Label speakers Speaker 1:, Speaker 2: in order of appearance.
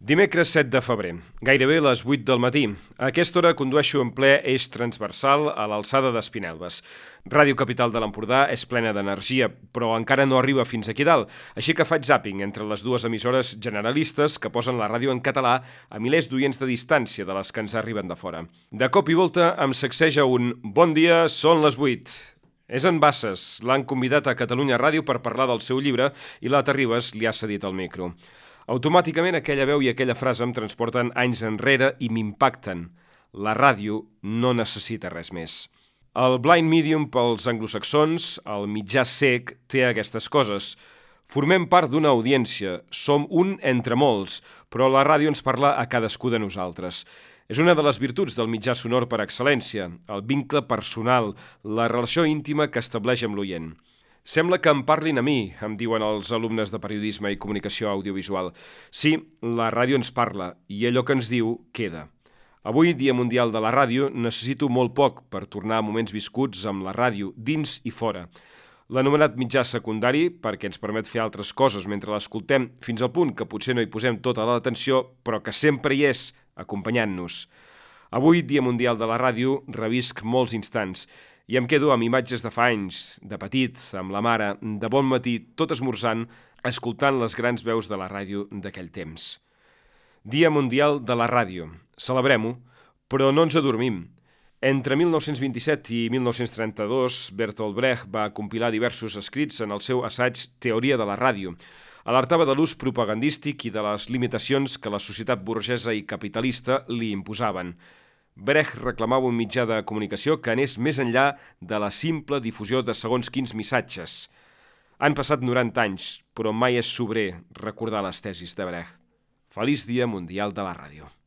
Speaker 1: Dimecres 7 de febrer, gairebé les 8 del matí. A aquesta hora condueixo en ple eix transversal a l'alçada d'Espinelves. Ràdio Capital de l'Empordà és plena d'energia, però encara no arriba fins aquí dalt, així que faig zàping entre les dues emissores generalistes que posen la ràdio en català a milers d'oients de distància de les que ens arriben de fora. De cop i volta em sacseja un «Bon dia, són les 8». És en Bassas, l'han convidat a Catalunya Ràdio per parlar del seu llibre i la Terribas li ha cedit el micro. Automàticament aquella veu i aquella frase em transporten anys enrere i m'impacten. La ràdio no necessita res més. El blind medium pels anglosaxons, el mitjà cec, té aquestes coses. Formem part d'una audiència, som un entre molts, però la ràdio ens parla a cadascú de nosaltres. És una de les virtuts del mitjà sonor per excel·lència, el vincle personal, la relació íntima que estableix amb l'oient. Sembla que em parlin a mi, em diuen els alumnes de periodisme i comunicació audiovisual. Sí, la ràdio ens parla i allò que ens diu queda. Avui, Dia Mundial de la Ràdio, necessito molt poc per tornar a moments viscuts amb la ràdio, dins i fora. L'anomenat mitjà secundari, perquè ens permet fer altres coses mentre l'escoltem, fins al punt que potser no hi posem tota l'atenció, però que sempre hi és, acompanyant-nos. Avui, Dia Mundial de la Ràdio, revisc molts instants i em quedo amb imatges de fa anys, de petit, amb la mare, de bon matí, tot esmorzant, escoltant les grans veus de la ràdio d'aquell temps. Dia Mundial de la Ràdio. Celebrem-ho, però no ens adormim. Entre 1927 i 1932, Bertolt Brecht va compilar diversos escrits en el seu assaig Teoria de la ràdio. Alertava de l'ús propagandístic i de les limitacions que la societat burgesa i capitalista li imposaven. Brecht reclamava un mitjà de comunicació que anés més enllà de la simple difusió de segons quins missatges. Han passat 90 anys, però mai és sobrer recordar les tesis de Brecht. Feliç Dia Mundial de la Ràdio.